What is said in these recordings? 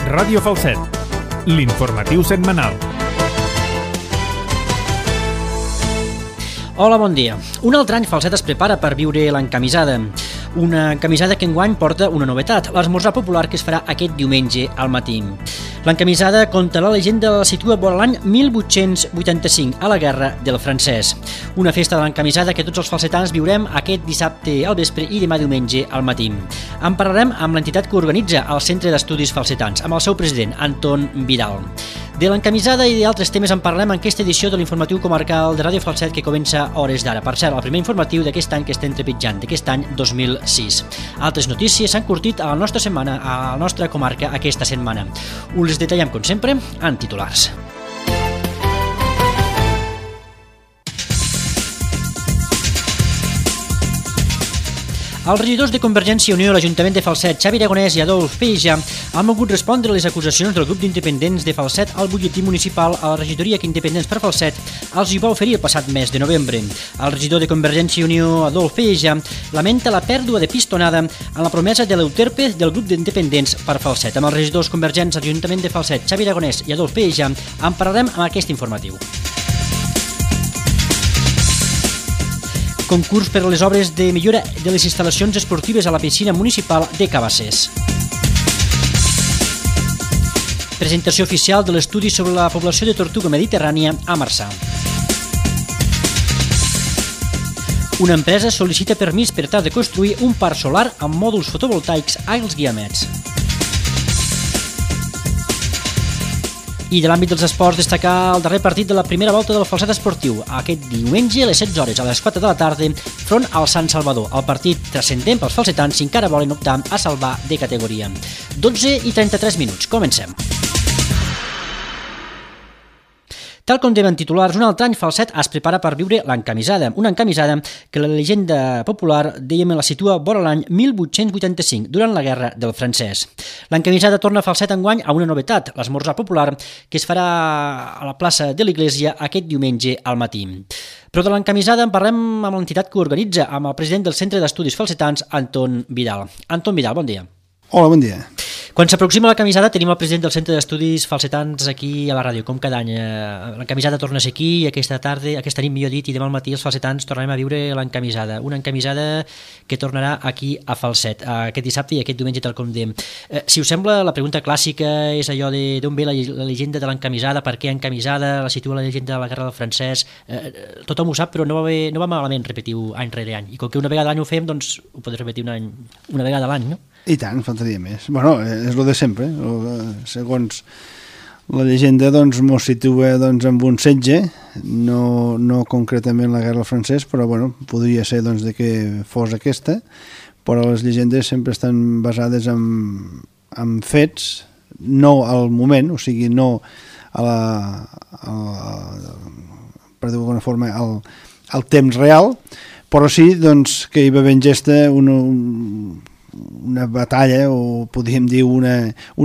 Ràdio Falset, l'informatiu setmanal. Hola, bon dia. Un altre any Falset es prepara per viure l'encamisada. Una encamisada que enguany porta una novetat, l'esmorzar popular que es farà aquest diumenge al matí. L'encamisada, conta la llegenda, la situa vora l'any 1885, a la Guerra del Francès. Una festa de l'encamisada que tots els falsetans viurem aquest dissabte al vespre i demà diumenge al matí. En parlarem amb l'entitat que organitza el Centre d'Estudis Falsetans, amb el seu president, Anton Vidal. De l'encamisada i d'altres temes en parlem en aquesta edició de l'informatiu comarcal de Ràdio Falset que comença a hores d'ara. Per cert, el primer informatiu d'aquest any que estem trepitjant, d'aquest any 2006. Altres notícies s'han curtit a la nostra setmana, a la nostra comarca aquesta setmana. Us les detallem, com sempre, en titulars. Els regidors de Convergència i Unió a l'Ajuntament de Falset, Xavi Aragonès i Adolf Peja, han volgut respondre a les acusacions del grup d'independents de Falset al butlletí municipal a la regidoria que Independents per Falset els hi va oferir el passat mes de novembre. El regidor de Convergència i Unió, Adolf Peja, lamenta la pèrdua de pistonada en la promesa de l'euterpe del grup d'independents per Falset. Amb els regidors convergents a l'Ajuntament de Falset, Xavi Aragonès i Adolf Peja, en parlarem amb aquest informatiu. Concurs per a les obres de millora de les instal·lacions esportives a la piscina municipal de Cabassers. Presentació oficial de l'estudi sobre la població de tortuga mediterrània a Marçà. Una empresa sol·licita permís per tal de construir un parc solar amb mòduls fotovoltaics als Guiamets. I de l'àmbit dels esports, destacar el darrer partit de la primera volta del Falset esportiu, aquest diumenge a les 16 hores, a les 4 de la tarda, front al Sant Salvador. El partit transcendent pels falsetans si encara volen optar a salvar de categoria. 12:33 minuts. Comencem. Tal com deien titulars, un altre any Falset es prepara per viure l'encamisada. Una encamisada que la llegenda popular, dèiem, la situa vora l'any 1885, durant la Guerra del Francès. L'encamisada torna a Falset enguany a una novetat, l'esmorzar popular, que es farà a la plaça de l'Església aquest diumenge al matí. Però de l'encamisada en parlem amb l'entitat que organitza, amb el president del Centre d'Estudis Falsetans, Anton Vidal. Anton Vidal, bon dia. Hola, bon dia. Quan s'aproxima la camisada tenim el president del Centre d'Estudis Falsetans aquí a la ràdio, com cada any. La camisada torna a ser aquí, aquesta nit, millor dit, i demà al matí els falsetans tornarem a viure l'encamisada. Una encamisada que tornarà aquí a Falset, aquest dissabte i aquest diumenge, tal com dèiem. Si us sembla, la pregunta clàssica és allò d'on ve la llegenda de l'encamisada, per què encamisada, la situa la llegenda de la Guerra del Francès. Tothom ho sap, però no va malament repetir-ho any rere any. I com que una vegada a l'any ho fem, doncs ho podem repetir una vegada a l'any, no? I tant, faltaria més. Bueno, és el de sempre. Segons la llegenda, doncs, mos situa amb un setge, no concretament la Guerra del Francès, però bueno, podria ser doncs, de que fos aquesta, però les llegendes sempre estan basades en fets, no al moment, o sigui, no per dir-ho d'alguna forma, al temps real, però sí doncs, que hi va haver en gesta una batalla, o podríem dir un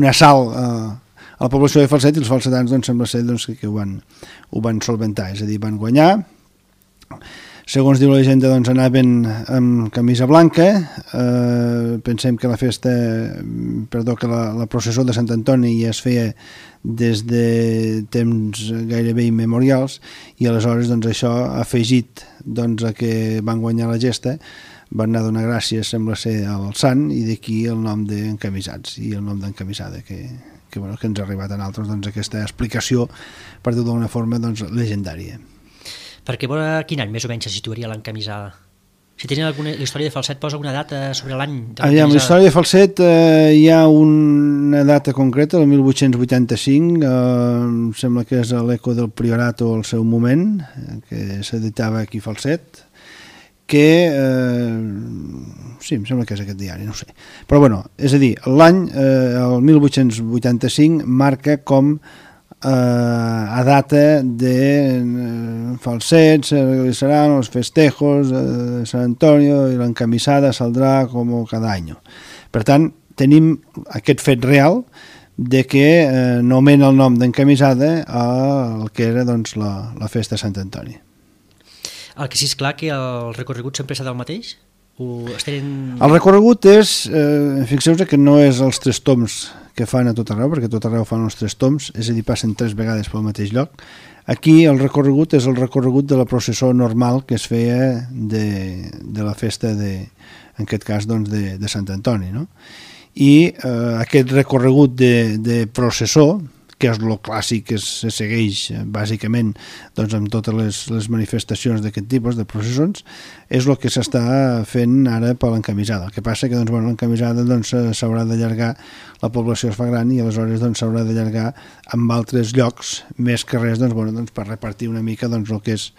assalt a la població de Falset, i els falsetans doncs, sembla ser doncs, que ho van solventar, és a dir, van guanyar. Segons diu la llegenda, doncs, anaven amb camisa blanca. Pensem que que la processó de Sant Antoni ja es feia des de temps gairebé immemorials, i aleshores doncs, això ha afegit doncs, a que van guanyar la gesta, van anar a donar gràcies, sembla ser, al sant, i d'aquí el nom d'encamisats i el nom d'encamisada que ens ha arribat a nosaltres, doncs, aquesta explicació, per dir-ho d'una forma, doncs, legendària. Perquè veure quin any més o menys se situaria l'encamisada? Si tenen la història de Falset posa una data sobre l'any de l'encamisada? La història de Falset hi ha una data concreta, el 1885, sembla que és l'Eco del Priorat o el seu moment, que s'editava aquí a Falset, que sí, em sembla que és aquest diari, no ho sé, però bueno, és a dir, l'any el 1885 marca com a data de Falset, seran els festejos de Sant Antonio i l'encamisada saldrà com cada any. Per tant, tenim aquest fet real de que nomena el nom d'encamisada al que era doncs, la festa de Sant Antoni. El que sí és clar que el recorregut sempre serà el mateix? El recorregut és, fixeu-vos que no és els 3 toms que fan a tot arreu, perquè a tot arreu fan els 3 tombs, és a dir, passen 3 vegades pel mateix lloc. Aquí el recorregut és el recorregut de la processó normal que es feia de la festa, en aquest cas, doncs, de Sant Antoni, no? I aquest recorregut de processó, que és el clàssic que se segueix bàsicament doncs, amb totes les manifestacions d'aquest tipus de processons, és el que s'està fent ara per l'encamisada. El que passa que doncs, l'encamisada doncs, s'haurà d'allargar, la població es fa gran i aleshores doncs, s'haurà d'allargar amb altres llocs, més que res doncs, per repartir una mica doncs, el que és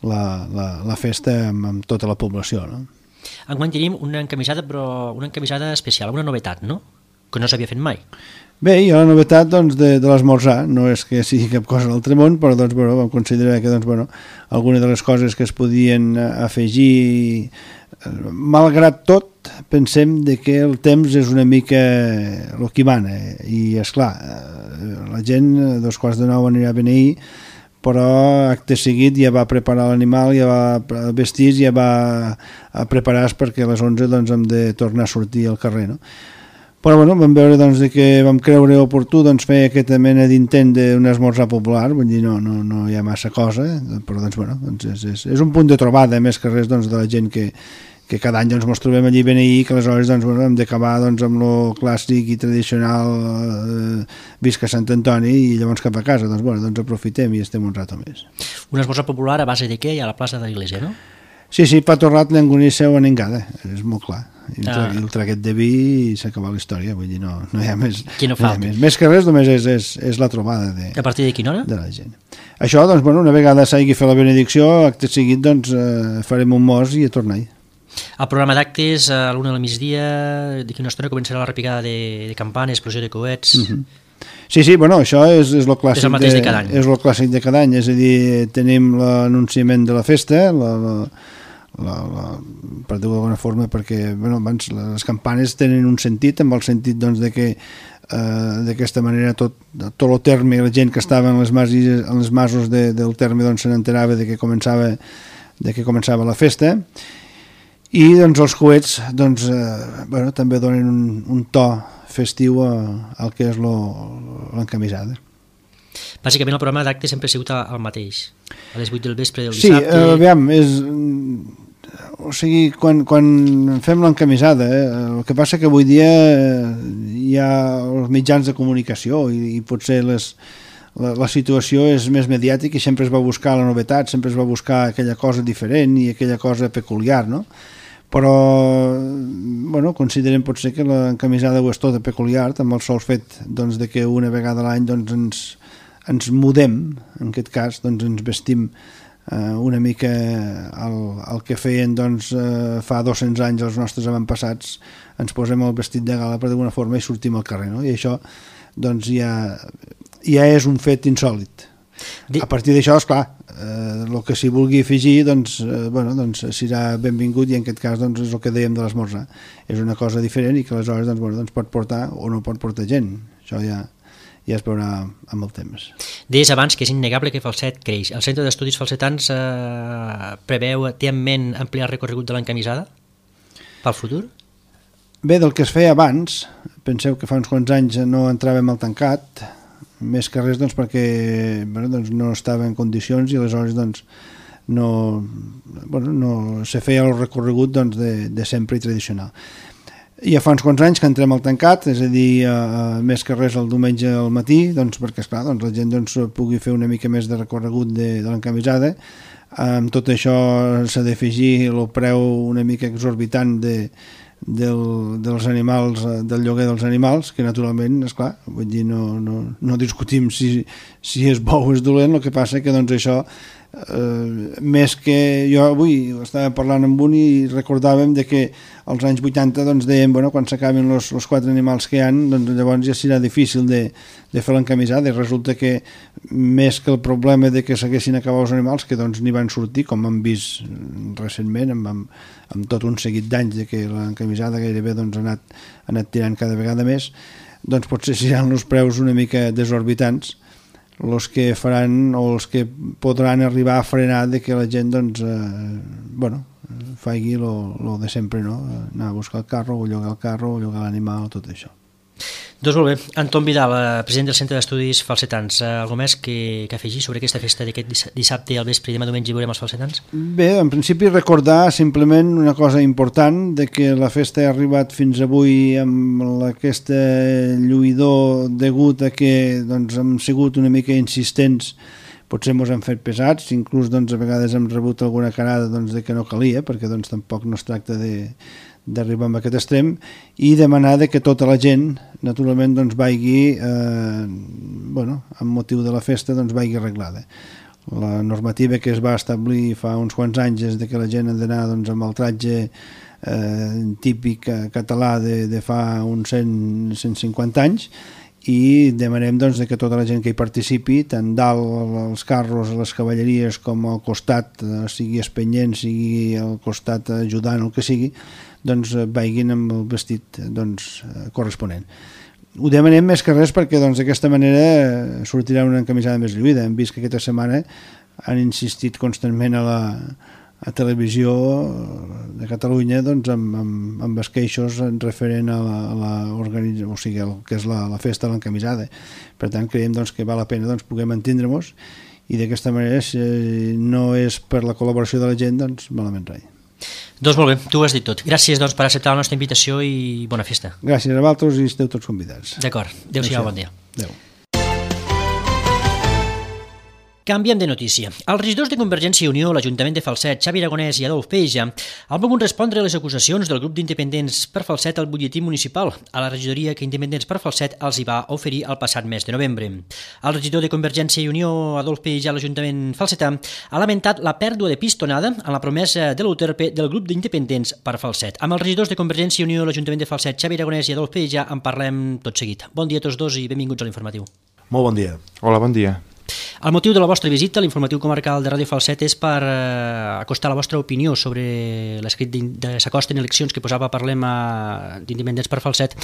la festa amb tota la població, no? Enguany tenim una encamisada, però una encamisada especial, una novetat, no? Que no s'havia fet mai. Bé, hi ha la novetat doncs, de l'esmorzar, no és que sigui cap cosa de l'altre món, però doncs, vam considerar que algunes de les coses que es podien afegir, malgrat tot, pensem que el temps és una mica el que mana, i esclar, la gent a 8:45 anirà a beneir, però acte seguit ja va preparar l'animal, ja va vestir, ja va a preparar-se perquè a les 11 doncs, hem de tornar a sortir al carrer, no? Però vam veure doncs, que vam creure oportú doncs, fer aquesta mena d'intent d'un esmorzar popular, vull dir, no hi ha massa cosa, però doncs, és un punt de trobada, més que res doncs, de la gent que cada any doncs, ens trobem allí ben ahir, que aleshores doncs, hem d'acabar doncs, amb el clàssic i tradicional visca Sant Antoni i llavors cap a casa, doncs aprofitem i estem un rato més. Un esmorzar popular a base de què? A la plaça de l'Iglésia, no? Sí, pa torrat l'engonisseu en engada, és molt clar. I el traguet de vi i s'ha acabat la història, vull dir, no hi ha més. Qui no falta. Més que res, només és la trobada a partir de quina hora? De la gent. Això, doncs, una vegada s'hagi fet la benedicció, acte seguit, doncs, farem un mos i a tornar-hi. El programa d'actes, a l'1 del migdia, d'aquí una estona començarà la repicada de campanes, explosió de coets... Sí, això és el clàssic, és el mateix de cada any. És el clàssic de cada any, és a dir, tenim l'anunciament de la festa, per dir-ho d'alguna forma, perquè abans les campanes tenen un sentit, amb el sentit doncs, de que d'aquesta manera tot el terme i la gent que estava en les masos del terme doncs, se n'enterava de que començava la festa, i doncs, els coets doncs, també donen un to festiu al que és l'encamisada. Bàsicament el programa d'actes sempre ha sigut el mateix, a les 8 del vespre del dissabte. Sí, aviam, o sigui, quan fem l'encamisada, el que passa que avui dia hi ha els mitjans de comunicació i potser la situació és més mediàtica i sempre es va buscar la novetat, sempre es va buscar aquella cosa diferent i aquella cosa peculiar, no? Però considerem potser que l'encamisada ho és tota peculiar, amb el sol fet doncs, de que una vegada a l'any doncs, ens mudem, en aquest cas doncs, ens vestim una mica el que feien doncs, fa 200 anys els nostres avantpassats, ens posem el vestit de gala per d'alguna forma i sortim al carrer, no? I això doncs, ja és un fet insòlit. A partir d'això, esclar, el que s'hi vulgui afegir doncs, serà benvingut i en aquest cas doncs, és el que dèiem de l'esmorzar. És una cosa diferent i que aleshores doncs, pot portar o no pot portar gent. Això ja es veurà amb el temps. Deies abans que és innegable que Falset creix. El Centre d'Estudis Falsetans té en ment ampliar el recorregut de l'encamisada pel futur? Bé, del que es feia abans, penseu que fa uns quants anys no entràvem al tancat, més que res doncs, perquè no estava en condicions i aleshores doncs, no se feia el recorregut doncs, de sempre i tradicional. Ja fa uns quants anys que entrem al tancat, és a dir, més que res el diumenge al matí, doncs, perquè esclar, doncs, la gent doncs, pugui fer una mica més de recorregut de l'encamisada. Amb tot això s'ha d'afegir el preu una mica exorbitant dels animals, del lloguer dels animals, que naturalment, esclar, vull dir, no discutim si és bo o és dolent, el que passa que doncs això, més que jo avui estava parlant amb un i recordàvem de que als anys 80 doncs dèiem, quan s'acaben els 4 animals que hi ha, doncs llavors ja serà difícil de fer l'encamisada, i resulta que més que el problema de que s'haguessin acabat els animals, que doncs n'hi van sortir, com hem vist recentment amb tot un seguit d'anys de que l'encamisada gairebé doncs, ha anat tirant cada vegada més, doncs potser seran els preus una mica desorbitants els que faran o els que podran arribar a frenar de que la gent doncs, faci lo de sempre, no? Anar a buscar el carro, o llogar el carro, o llogar l'animal, tot això. Doncs molt bé. Anton Vidal, president del Centre d'Estudis Falsetans. Algo més que afegir sobre aquesta festa d'aquest dissabte al vespre i demà diumenge veurem els falsetans? Bé, en principi recordar simplement una cosa important, de que la festa ha arribat fins avui amb aquest lluïdor degut a que doncs, hem sigut una mica insistents, potser ens hem fet pesats, inclús doncs, a vegades hem rebut alguna carada doncs, de que no calia, perquè doncs, tampoc no es tracta d'arribar a aquest extrem, i demanar que tota la gent naturalment doncs, vagi amb motiu de la festa doncs, vagi arreglada. La normativa que es va establir fa uns quants anys és que la gent ha d'anar doncs, amb el tratge típic català de fa uns 150 anys, i demanem doncs, que tota la gent que hi participi, tant dalt als carros, a les cavalleries, com al costat, sigui espenyent, sigui al costat ajudant, el que sigui, doncs vagin amb el vestit doncs, corresponent. Ho demanem més que res perquè doncs, d'aquesta manera sortirà una encamisada més lluïda. Hem vist que aquesta setmana han insistit constantment a Televisió de Catalunya doncs, amb els queixos referent a o sigui, el que és la festa de l'encamisada. Per tant, creiem doncs, que val la pena doncs, puguem entendre-nos, i d'aquesta manera, si no és per la col·laboració de la gent, doncs malament rai. Doncs molt bé, tu ho has dit tot. Gràcies doncs, per acceptar la nostra invitació i bona festa. Gràcies a vosaltres i esteu tots convidats. D'acord, adéu-siau, bon dia. Adéu. Canviem de notícia. Els regidors de Convergència i Unió, l'Ajuntament de Falset, Xavi Aragonès i Adolf Peja, han volgut respondre a les acusacions del grup d'independents per Falset al butlletí municipal, a la regidoria que Independents per Falset els hi va oferir el passat mes de novembre. El regidor de Convergència i Unió, Adolf Peja, a l'Ajuntament falsetà, ha lamentat la pèrdua de pistonada en la promesa de l'UTRP del grup d'independents per Falset. Amb els regidors de Convergència i Unió, l'Ajuntament de Falset, Xavi Aragonès i Adolf Peja, en parlem tot seguit. Bon dia a tots dos i benvinguts a l'informatiu. Molt bon dia. Hola, bon dia. El motiu de la vostra visita a l'informatiu comarcal de Ràdio Falset és per acostar la vostra opinió sobre l'escrit de s'acosten eleccions que posava Parlem d'Independents per Falset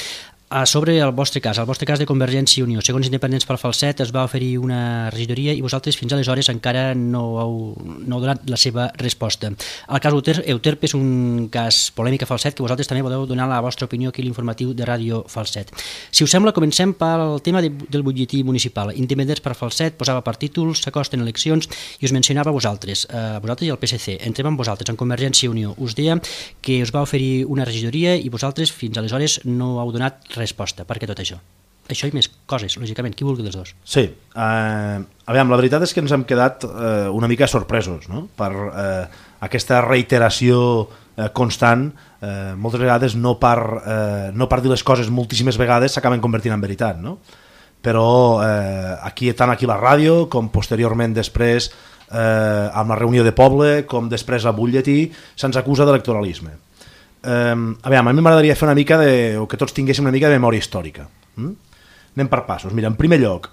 sobre el vostre cas de Convergència i Unió. Segons Independents per Falset es va oferir una regidoria i vosaltres fins aleshores encara no heu donat la seva resposta. El cas Euterpe és un cas polèmic a Falset que vosaltres també podeu donar la vostra opinió aquí a l'informatiu de Ràdio Falset. Si us sembla, comencem pel tema del butlletí municipal. Independents per Falset posava per títols s'acosten eleccions i us mencionava vosaltres i el PSC. Entrem amb vosaltres, en Convergència i Unió. Us deia que us va oferir una regidoria i vosaltres fins aleshores no heu donat resposta. Per què tot això? Això i més coses, lògicament. Qui vulgui dels dos? Sí. Aviam, la veritat és que ens hem quedat una mica sorpresos, no? Per aquesta reiteració constant. Moltes vegades no per dir les coses moltíssimes vegades s'acaben convertint en veritat, no? Però tant aquí a la ràdio com posteriorment després amb la reunió de poble com després al butlletí se'ns acusa d'electoralisme. Aviam, a mi m'agradaria fer una mica o que tots tinguéssim una mica de memòria històrica. Anem per passos. Mira, en primer lloc,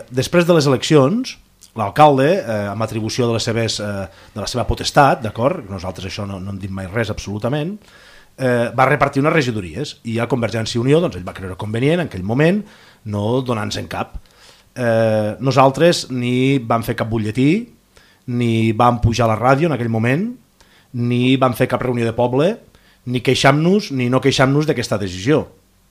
després de les eleccions, l'alcalde, amb atribució de la seva potestat, d'acord? Nosaltres això no hem dit mai res absolutament, va repartir unes regidories i a Convergència i Unió doncs, ell va creure convenient en aquell moment no donar-nos en cap. Nosaltres ni vam fer cap butlletí, ni vam pujar a la ràdio en aquell moment, ni vam fer cap reunió de poble, ni queixam-nos ni no queixam-nos d'aquesta decisió.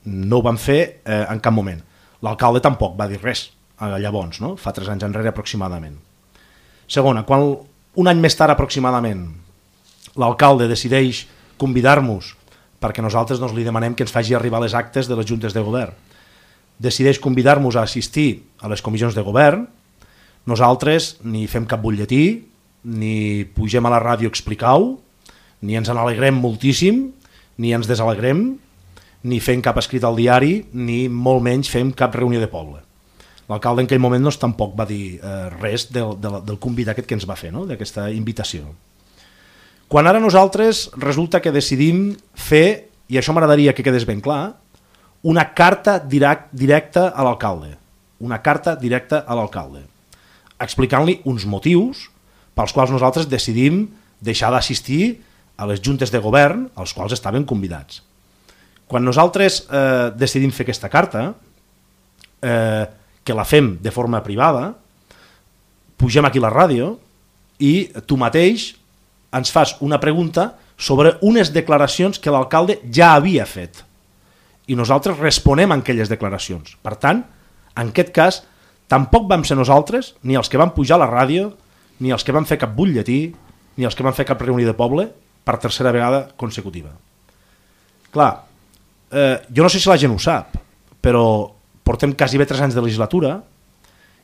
No ho vam fer en cap moment. L'alcalde tampoc va dir res llavors, no? Fa 3 anys enrere aproximadament. Segona, quan un any més tard aproximadament l'alcalde decideix convidar-nos, perquè nosaltres li demanem que ens faci arribar les actes de les juntes de govern, decideix convidar-nos a assistir a les comissions de govern, nosaltres ni fem cap butlletí, ni pugem a la ràdio a explicar-ho, ni ens n'alegrem moltíssim, ni ens desalegrem, ni fem cap escrit al diari, ni molt menys fem cap reunió de poble. L'alcalde en aquell moment tampoc va dir res del convit aquest que ens va fer, no? D'aquesta invitació. Quan ara nosaltres resulta que decidim fer, i això m'agradaria que quedés ben clar, una carta directa a l'alcalde. Una carta directa a l'alcalde, explicant-li uns motius pels quals nosaltres decidim deixar d'assistir a les juntes de govern als quals estaven convidats. Quan nosaltres decidim fer aquesta carta, que la fem de forma privada, pugem aquí a la ràdio i tu mateix ens fas una pregunta sobre unes declaracions que l'alcalde ja havia fet. i nosaltres responem a aquelles declaracions. Per tant, en aquest cas, tampoc vam ser nosaltres, ni els que van pujar a la ràdio, ni els que van fer cap butlletí, ni els que van fer cap reunió de poble, per tercera vegada consecutiva. Clar, jo no sé si la gent ho sap, però portem quasi bé 3 anys de legislatura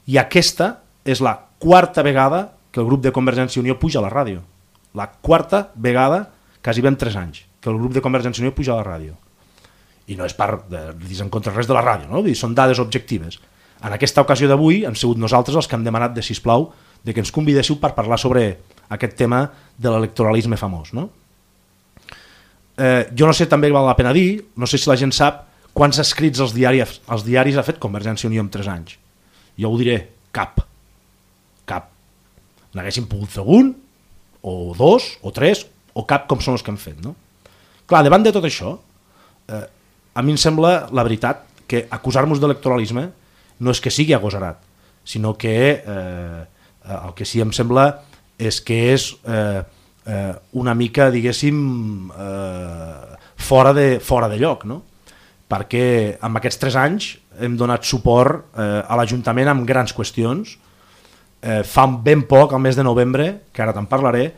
i aquesta és la 4a vegada que el grup de Convergència i Unió puja a la ràdio. La 4a vegada, quasi ben 3 anys, que el grup de Convergència i Unió puja a la ràdio. I no és per dir en contra res de la ràdio, no? Són dades objectives. En aquesta ocasió d'avui hem sigut nosaltres els que hem demanat de sisplau de que ens convidéssiu per parlar sobre aquest tema de l'electoralisme famós, no? Jo no sé, també val la pena dir, no sé si la gent sap quants escrits als diaris ha fet Convergència i Unió en 3 anys. Jo ho diré, cap. N'haguéssim pogut fer un, o 2, o 3, o cap, com són els que hem fet, no? Clar, davant de tot això, a mi em sembla, la veritat, que acusar-nos d'electoralisme no és que sigui agosarat, sinó que el que sí em sembla és que és una mica, diguéssim, fora de lloc, no? Perquè en aquests 3 anys hem donat suport a l'Ajuntament amb grans qüestions. Fa ben poc, al mes de novembre, que ara te'n parlaré,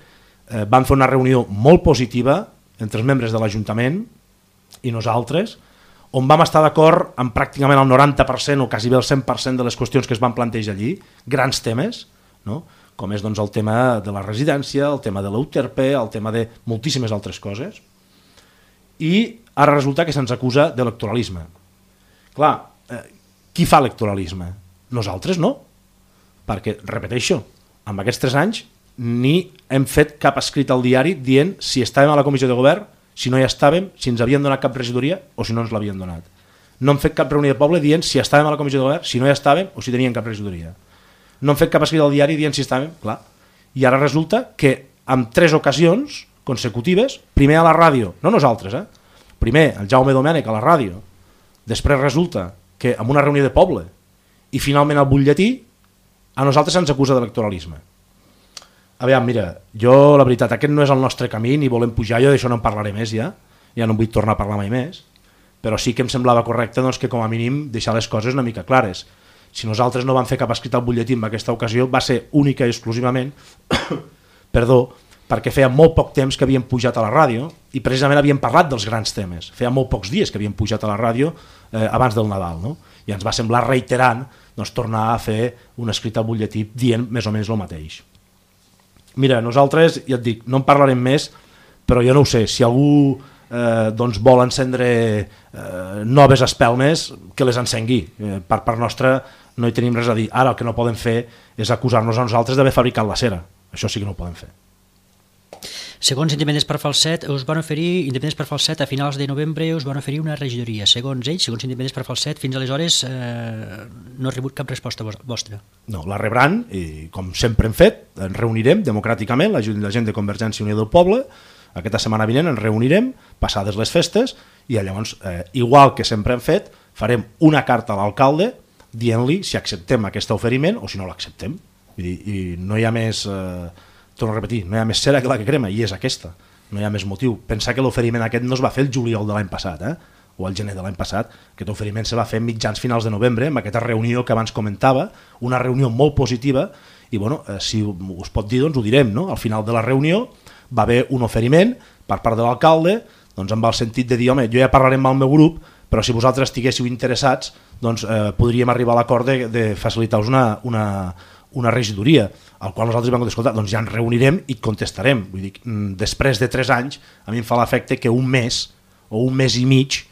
vam fer una reunió molt positiva entre els membres de l'Ajuntament i nosaltres, on vam estar d'acord amb pràcticament el 90% o quasi bé el 100% de les qüestions que es van plantejar allí, grans temes, no? Com és doncs, el tema de la residència, el tema de l'UTRP, el tema de moltíssimes altres coses, i ara resulta que se'ns acusa d'electoralisme. Clar, qui fa electoralisme? Nosaltres no, perquè, repeteixo, en aquests 3 anys ni hem fet cap escrit al diari dient si estàvem a la comissió de govern, si no hi estàvem, si ens havien donat cap regidoria o si no ens l'havien donat. No hem fet cap reunió de poble dient si estàvem a la comissió de govern, si no hi estàvem o si teníem cap regidoria. No hem fet cap escrit al diari dient si estàvem, clar. I ara resulta que en 3 ocasions consecutives, primer a la ràdio, no nosaltres, primer el Jaume Domènech a la ràdio, després resulta que en una reunió de poble i finalment al butlletí, a nosaltres se'ns acusa d'electoralisme. Aviam, mira, jo la veritat, aquest no és el nostre camí, ni volem pujar, jo d'això no en parlaré més ja no en vull tornar a parlar mai més, però sí que em semblava correcte doncs, que com a mínim deixar les coses una mica clares. Si nosaltres no vam fer cap escrit al butlletí en aquesta ocasió, va ser única i exclusivament perquè feia molt poc temps que havíem pujat a la ràdio i precisament havíem parlat dels grans temes. Feia molt pocs dies que havíem pujat a la ràdio abans del Nadal, no? I ens va semblar reiterant doncs, tornar a fer un escrit al butlletí dient més o menys el mateix. Mira, nosaltres, ja et dic, no en parlarem més, però jo no ho sé, si algú doncs vol encendre noves espelmes, que les encengui. Per part nostra no hi tenim res a dir. Ara el que no podem fer és acusar-nos a nosaltres d'haver fabricat la cera. Això sí que no ho podem fer. Segons Independents per Falset, us van oferir, Independents per Falset, a finals de novembre us van oferir una regidoria. Segons ells, segons Independents per Falset, fins aleshores no ha rebut cap resposta vostra. No, la rebran i com sempre hem fet, ens reunirem democràticament, la gent de Convergència i Unió del Poble, aquesta setmana vinent ens reunirem, passades les festes, i llavors, igual que sempre hem fet, farem una carta a l'alcalde dient-li si acceptem aquest oferiment o si no l'acceptem. I no hi ha més... torno a repetir, no hi ha més cera que la que crema, i és aquesta, no hi ha més motiu. Pensar que l'oferiment aquest no es va fer el juliol de l'any passat, o el gener de l'any passat, aquest oferiment se va fer mitjans finals de novembre, amb aquesta reunió que abans comentava, una reunió molt positiva, i bueno, si us pot dir, doncs ho direm, no? Al final de la reunió va haver un oferiment per part de l'alcalde, doncs amb el sentit de dir, home, jo ja parlaré amb el meu grup, però si vosaltres estiguéssiu interessats, doncs podríem arribar a l'acord de facilitar-vos una regidoria, al qual nosaltres vam escoltar, doncs ja ens reunirem i contestarem. Vull dir, després de 3 anys, a mi em fa l'efecte que un mes o un mes i mig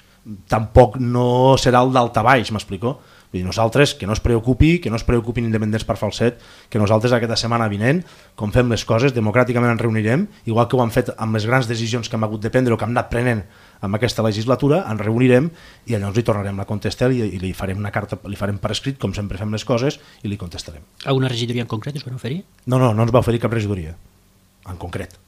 tampoc no serà el daltabaix, m'explico? Vull dir, nosaltres, que no es preocupin Independents per Falset, que nosaltres aquesta setmana vinent, com fem les coses, democràticament ens reunirem, igual que ho hem fet amb les grans decisions que hem hagut de prendre o que hem anat prenent amb aquesta legislatura, ens reunirem i llavors li tornarem a contestar i li farem una carta, li farem per escrit, com sempre fem les coses, i li contestarem. Alguna regidoria en concret us van oferir? No ens va oferir cap regidoria, en concret.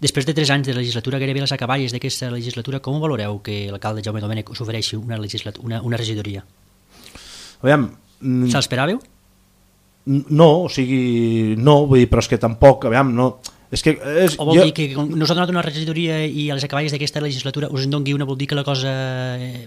Després de 3 anys de legislatura, gairebé les acaballes d'aquesta legislatura, com valoreu que l'alcalde Jaume Domènech us ofereixi una regidoria? Aviam... Se l'esperàveu? No, o sigui, no, vull dir, però és que tampoc, aviam, no... O vol dir que no us ha donat una regidoria i a les acaballes d'aquesta legislatura us en doni una, vol dir que la cosa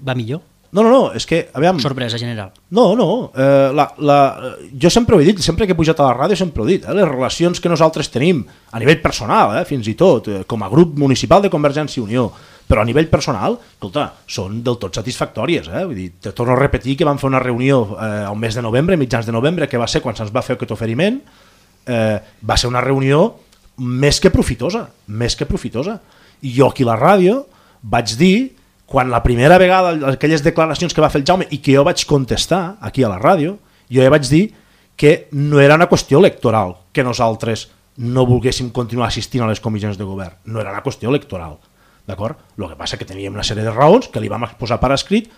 va millor? No, és que, aviam... Sorpresa general. No, jo sempre ho he dit, sempre que he pujat a la ràdio sempre ho he dit, les relacions que nosaltres tenim a nivell personal, fins i tot, com a grup municipal de Convergència i Unió, però a nivell personal, escolta, són del tot satisfactòries. Vull dir, te torno a repetir que vam fer una reunió al mes de novembre, mitjans de novembre, que va ser quan se'ns va fer aquest oferiment, va ser una reunió més que profitosa. I jo aquí a la ràdio vaig dir, quan la primera vegada, aquelles declaracions que va fer el Jaume i que jo vaig contestar aquí a la ràdio, jo ja vaig dir que no era una qüestió electoral que nosaltres no volguéssim continuar assistint a les comissions de govern. No era una qüestió electoral. D'acord? El que passa que teníem una sèrie de raons que li vam exposar per escrit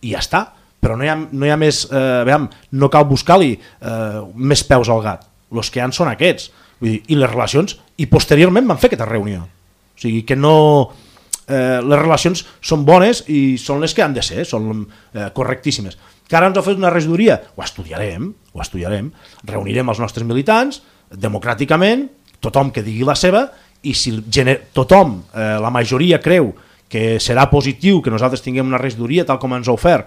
i ja està. Però no hi ha més... no cal buscar-li més peus al gat. Els que hi ha són aquests. Vull dir, i les relacions... I posteriorment van fer aquesta reunió. O sigui que no... les relacions són bones i són les que han de ser, són correctíssimes. Que ara ens ha fet una regidoria, ho estudiarem, reunirem els nostres militants democràticament, tothom que digui la seva, i si tothom, la majoria creu que serà positiu que nosaltres tinguem una regidoria tal com ens ha ofert,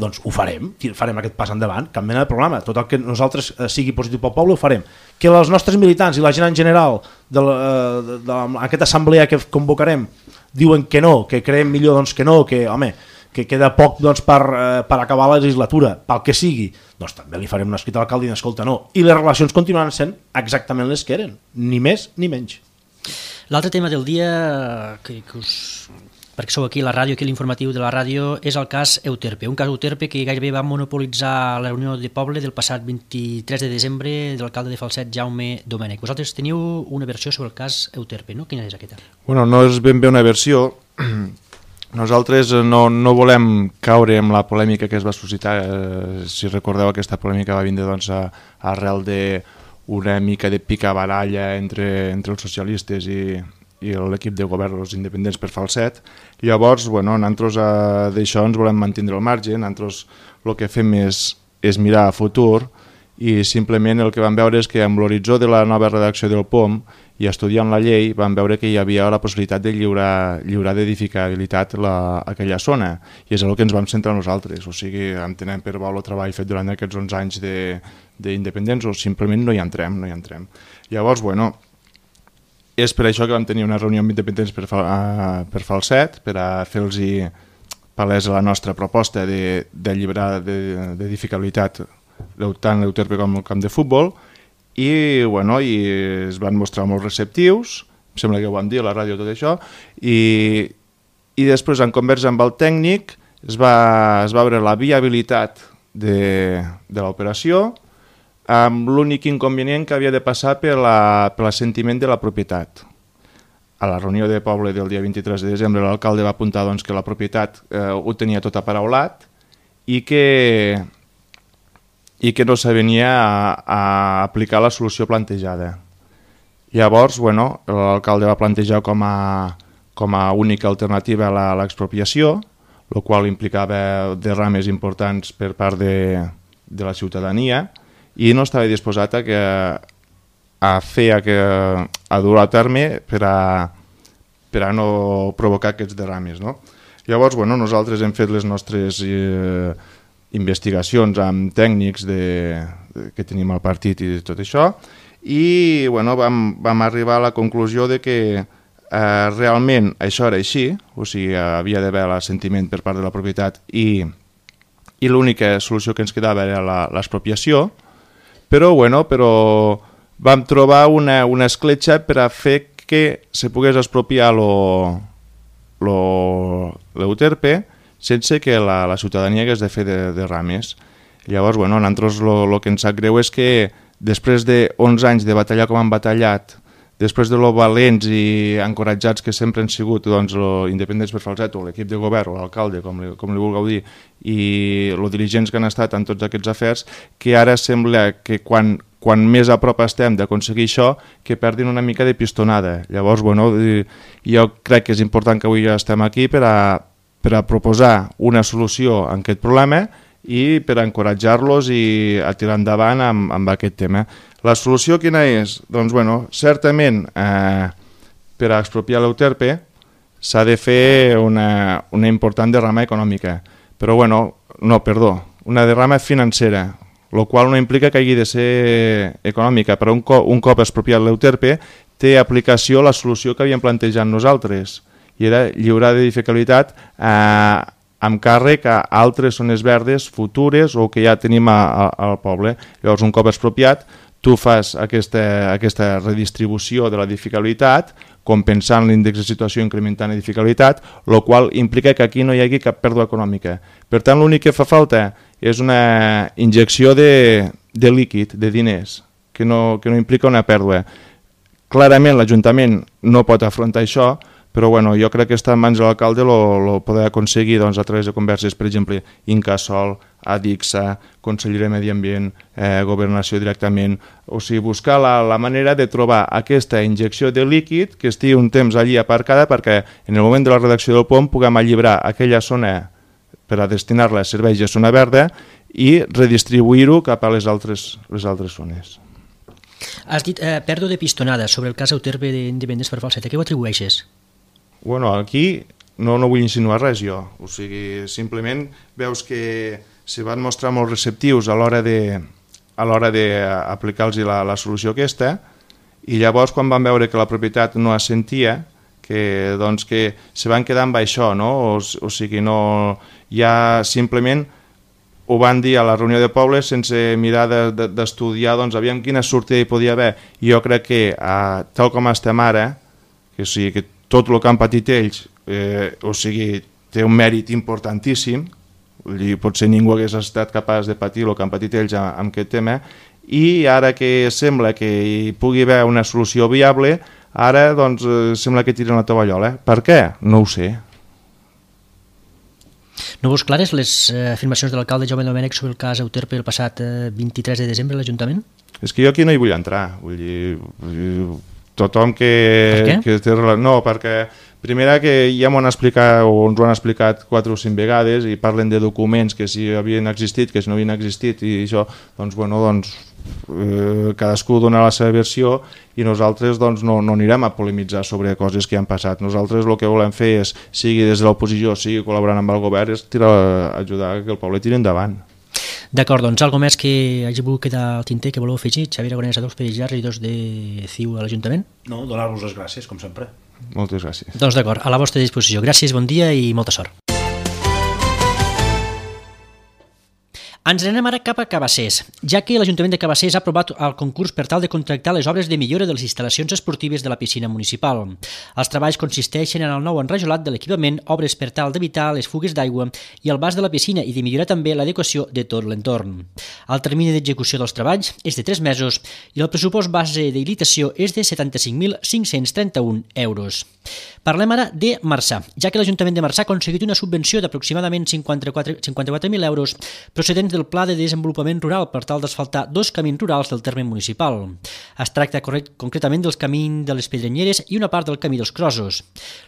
doncs ho farem aquest pas endavant, cap mena de problema. Tot el que nosaltres sigui positiu pel poble ho farem. Que els nostres militants i la gent en general d'aquesta assemblea que convocarem diuen que no, que creiem millor doncs que no, que queda poc doncs, per acabar la legislatura, pel que sigui, doncs també li farem un escrit a l'alcalde i escolta, no. I les relacions continuen sent exactament les que eren, ni més ni menys. L'altre tema del dia, perquè sou aquí a la ràdio, aquí a l'informatiu de la ràdio, és el cas Euterpe, un cas Euterpe que gairebé va monopolitzar la reunió de poble del passat 23 de desembre de l'alcalde de Falset, Jaume Domènech. Vosaltres teniu una versió sobre el cas Euterpe, no? Quina és aquesta? Bueno, no és ben bé una versió. Nosaltres no volem caure en la polèmica que es va suscitar. Si recordeu, aquesta polèmica va vindre doncs, arrel d'una mica de picabaralla entre els socialistes i l'equip de govern dels independents per Falset. Llavors, nosaltres d'això ens volem mantenir al marge, nosaltres el que fem és mirar a futur i simplement el que vam veure és que amb l'horitzó de la nova redacció del POM i estudiant la llei vam veure que hi havia la possibilitat de lliurar d'edificabilitat aquella zona i és el que ens vam centrar nosaltres, o sigui, entenem per bo el treball fet durant aquests 11 anys d'independents o simplement no hi entrem. Llavors, és per això que vam tenir una reunió amb independents per Falset, per a fer-los palesa la nostra proposta de lliurar d'edificabilitat tant l'Euterpe com el camp de futbol i es van mostrar molt receptius, em sembla que ho vam dir a la ràdio tot això, i després en conversa amb el tècnic es va veure la viabilitat de l'operació amb l'únic inconvenient que havia de passar per l'assentiment de la propietat. A la reunió de poble del dia 23 de desembre l'alcalde va apuntar doncs, que la propietat ho tenia tot aparaulat i que no s'avenia a aplicar la solució plantejada. Llavors, l'alcalde va plantejar com a única alternativa l'expropiació, el qual implicava derrames importants per part de la ciutadania i no estava disposat a dur a terme per a no provocar aquests derrames. No? Llavors, nosaltres hem fet les nostres investigacions amb tècnics que tenim al partit i tot això i vam arribar a la conclusió de que realment això era així, o sigui, havia d'haver l'assentiment per part de la propietat i l'única solució que ens quedava era l'expropiació, però vam trobar una escletxa per a fer que se pogués expropiar l'Euterpe sense que la ciutadania hagués de fer derrames. Llavors, nosaltres el que ens sap greu és que després de 11 anys de batallar com han batallat, després de lo valents i encoratjats que sempre han sigut doncs, independents per Falset o l'equip de govern o l'alcalde, com li vulgueu dir, i els dirigents que han estat en tots aquests afers, que ara sembla que quan més a prop estem d'aconseguir això, que perdin una mica de pistonada. Llavors, jo crec que és important que avui ja estem aquí per a proposar una solució a aquest problema i per a encoratjar-los i a tirar endavant amb aquest tema. La solució quina és? Doncs, bueno, certament, per a expropiar l'Euterpe s'ha de fer una important derrama econòmica, però, una derrama financera, el qual no implica que hagi de ser econòmica, però un cop expropiat l'Euterpe té aplicació la solució que havíem plantejat nosaltres, i era lliurar d'edificabilitat amb càrrec a altres zones verdes futures o que ja tenim al poble. Llavors, un cop expropiat, tu fas aquesta redistribució de l'edificabilitat, compensant l'índex de situació, incrementant edificabilitat, el qual implica que aquí no hi hagi cap pèrdua econòmica. Per tant, l'únic que fa falta és una injecció de líquid, de diners, que no implica una pèrdua. Clarament l'Ajuntament no pot afrontar això, però jo crec que està en mans de l'alcalde el poder aconseguir a través de converses, per exemple, Incasòl, Adixa, Conselleria de Medi Ambient, Governació directament, o sigui, buscar la manera de trobar aquesta injecció de líquid que estigui un temps allí aparcada perquè en el moment de la redacció del POM puguem alliberar aquella zona per a destinar-la a serveis de zona verda i redistribuir-ho cap a les altres zones. Has dit pèrdua de pistonada sobre el cas Euterpe de Vendes per Falset. A què ho atribueixes? Aquí no vull insinuar res jo, o sigui, simplement veus que se van mostrar molt receptius a l'hora d'aplicar-los la solució aquesta, i llavors quan van veure que la propietat no assentia, que se van quedar amb això, no? O sigui, no, ja simplement ho van dir a la reunió de poble sense mirar d'estudiar aviam quina sortida hi podia haver. I jo crec que tal com estem ara, que tot el que han patit ells té un mèrit importantíssim, potser ningú hagués estat capaç de patir el que han patit ells amb aquest tema, i ara que sembla que hi pugui haver una solució viable, ara sembla que tiren la tovallola. Per què? No ho sé. No veus clares les afirmacions de l'alcalde Jaume Domènech sobre el cas Euterpe el passat 23 de desembre a l'Ajuntament? És que jo aquí no hi vull entrar. Vull dir, tothom que... Per què? No, perquè primera que ja m'ho han explicat o ens ho han explicat 4 o 5 vegades i parlen de documents que si havien existit, que si no havien existit i això, cadascú dona la seva versió i nosaltres no anirem a polemitzar sobre coses que han passat. Nosaltres el que volem fer és, sigui des de l'oposició, sigui col·laborant amb el govern, és ajudar que el poble tiri endavant. D'acord, alguna més que hagi volgut quedar al tinter que voleu afegir? Xavier Aragonès, Adolf Pérez Llarra, regidors de CiU a l'Ajuntament? No, donar-vos les gràcies, com sempre. Moltes gràcies. Doncs d'acord, a la vostra disposició. Gràcies, bon dia i molta sort. Ens anem ara cap a Cabassers, ja que l'Ajuntament de Cabassers ha aprovat el concurs per tal de contractar les obres de millora de les instal·lacions esportives de la piscina municipal. Els treballs consisteixen en el nou enrajolat de l'equipament, obres per tal d'evitar les fugues d'aigua i el bas de la piscina i de millorar també l'adequació de tot l'entorn. El termini d'execució dels treballs és de 3 mesos i el pressupost base d'habilitació és de 75.531 euros. Parlem ara de Marçà, ja que l'Ajuntament de Marçà ha aconseguit una subvenció d'aproximadament 54.000 euros procedents del Pla de Desenvolupament Rural per tal d'asfaltar 2 camins rurals del terme municipal. Es tracta concretament del camí de les Pedrenyeres i una part del camí dels Crossos.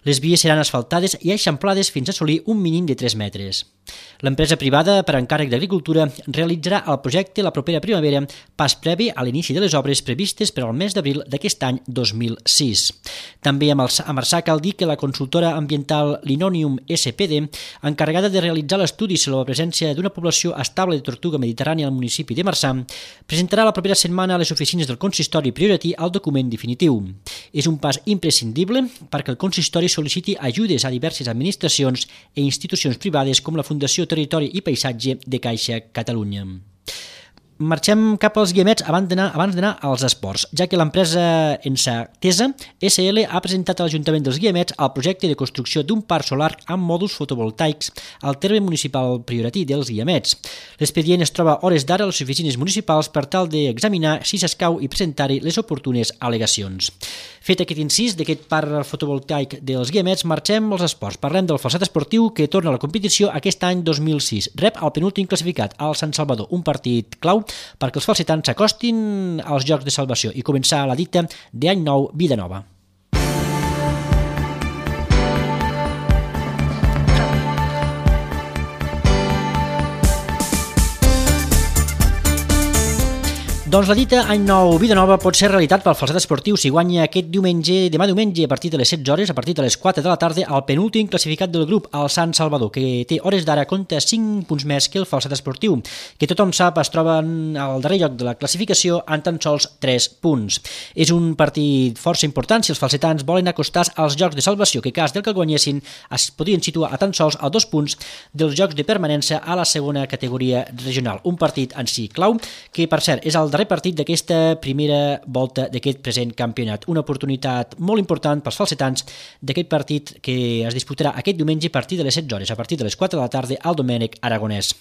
Les vies seran asfaltades i eixamplades fins a assolir un mínim de 3 metres. L'empresa privada per encàrrec d'Agricultura realitzarà el projecte la propera primavera, pas previ a l'inici de les obres previstes per al mes d'abril d'aquest any 2006. També a Marçà cal dir que la consultora ambiental Linonium SPD, encarregada de realitzar l'estudi sobre la presència d'una població estable de tortuga mediterrània al municipi de Marçà, presentarà la propera setmana a les oficines del consistori prioritari el document definitiu. És un pas imprescindible perquè el consistori sol·liciti ajudes a diverses administracions i institucions privades com la Fundació Territori i Paisatge de Caixa Catalunya. Marxem cap als Guiamets abans d'anar als esports, ja que l'empresa Ensatesa SL ha presentat a l'Ajuntament dels Guiamets el projecte de construcció d'un parc solar amb mòduls fotovoltaics al terme municipal prioritari dels Guiamets. L'expedient es troba a hores d'ara a les oficines municipals per tal d'examinar si s'escau i presentar-hi les oportunes al·legacions. Fet aquest incís d'aquest parc fotovoltaic dels Guiamets, marxem als esports. Parlem del falset esportiu que torna a la competició aquest any 2006. Rep el penúltim classificat, el Sant Salvador, un partit clau perquè els falsetans s'acostin als Jocs de Salvació i començar la dita d'any nou, vida nova. Doncs la dita Any Nou, Vida Nova pot ser realitat pel Falset Esportiu si guanya aquest diumenge, demà diumenge, a partir de les 16 hores, a partir de les 4 de la tarda, el penúltim classificat del grup, el Sant Salvador, que té hores d'ara compta 5 punts més que el Falset Esportiu, que tothom sap es troba al darrer lloc de la classificació en tan sols 3 punts. És un partit força important si els falsetans volen acostar als jocs de salvació, que cas del que guanyessin es podrien situar a tan sols a 2 punts dels jocs de permanència a la segona categoria regional. Un partit en si clau, que per cert és el darrer partit d'aquesta primera volta d'aquest present campionat. Una oportunitat molt important pels falsetans d'aquest partit que es disputarà aquest diumenge a partir de les 16 hores, a partir de les 4 de la tarda al Domènec Aragonès.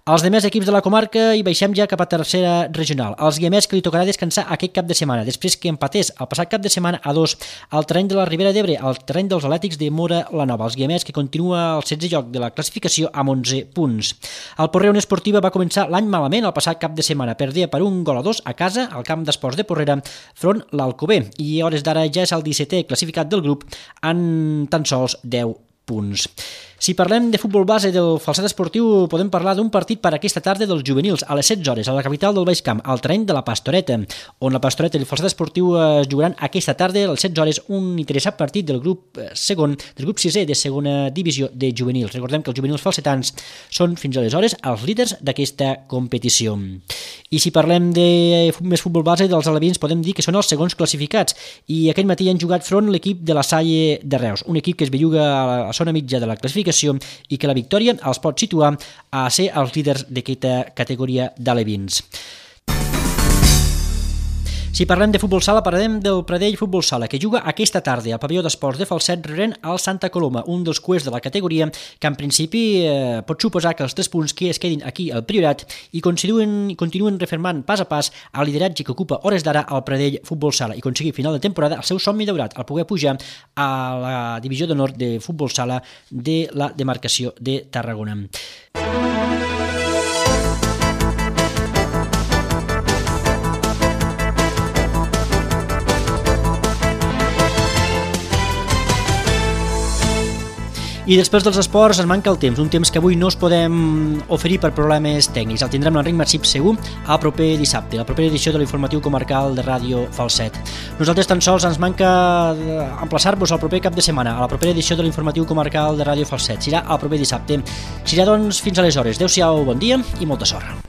Els demés equips de la comarca hi baixem ja cap a tercera regional. Els guiamets que li tocarà descansar aquest cap de setmana, després que empatés el passat cap de setmana a 2 al terreny de la Ribera d'Ebre, al terreny dels Atlètics de Móra la Nova. Els guiamets que continua al 16è lloc de la classificació amb 11 punts. El Porrea Unió Esportiva va començar l'any malament el passat cap de setmana, perdia per 1-2 a casa al camp d'esports de Porrera front l'Alcover, i a hores d'ara ja és el 17è classificat del grup en tan sols 10 punts. Si parlem de futbol base del Falset Esportiu, podem parlar d'un partit per aquesta tarda dels juvenils, a les 16 hores, a la capital del Baix Camp, al terreny de la Pastoreta, on la Pastoreta i el Falset Esportiu es jugaran aquesta tarda, a les 16 hores, un interessant partit del grup segon, del grup 6è de segona divisió de juvenils. Recordem que els juvenils falsetans són fins aleshores els líders d'aquesta competició. I si parlem de més futbol base dels alevins, podem dir que són els segons classificats, i aquest matí han jugat front l'equip de la Salle de Reus, un equip que es belluga a la zona mitja de la classificació i que la victòria els pot situar a ser els líders d'aquesta categoria d'alevins. Si parlem de futbol sala, parlarem del Pradell Futbol Sala, que juga aquesta tarda al pavelló d'esports de Falset rebent al Santa Coloma, un dels cuers de la categoria que en principi pot suposar que els 3 punts que es quedin aquí al Priorat i continuen refermant pas a pas el lideratge que ocupa hores d'ara al Pradell Futbol Sala i aconseguir final de temporada el seu somni daurat, el poder pujar a la divisió d'honor de futbol sala de la demarcació de Tarragona. I després dels esports ens manca el temps, un temps que avui no us podem oferir per problemes tècnics. El tindrem l'Enric Massip segur el proper dissabte, la propera edició de l'informatiu comarcal de Ràdio Falset. Nosaltres tan sols ens manca emplaçar-vos al proper cap de setmana, a la propera edició de l'informatiu comarcal de Ràdio Falset. Serà el proper dissabte. Serà doncs fins aleshores. Adéu-siau, bon dia i molta sort.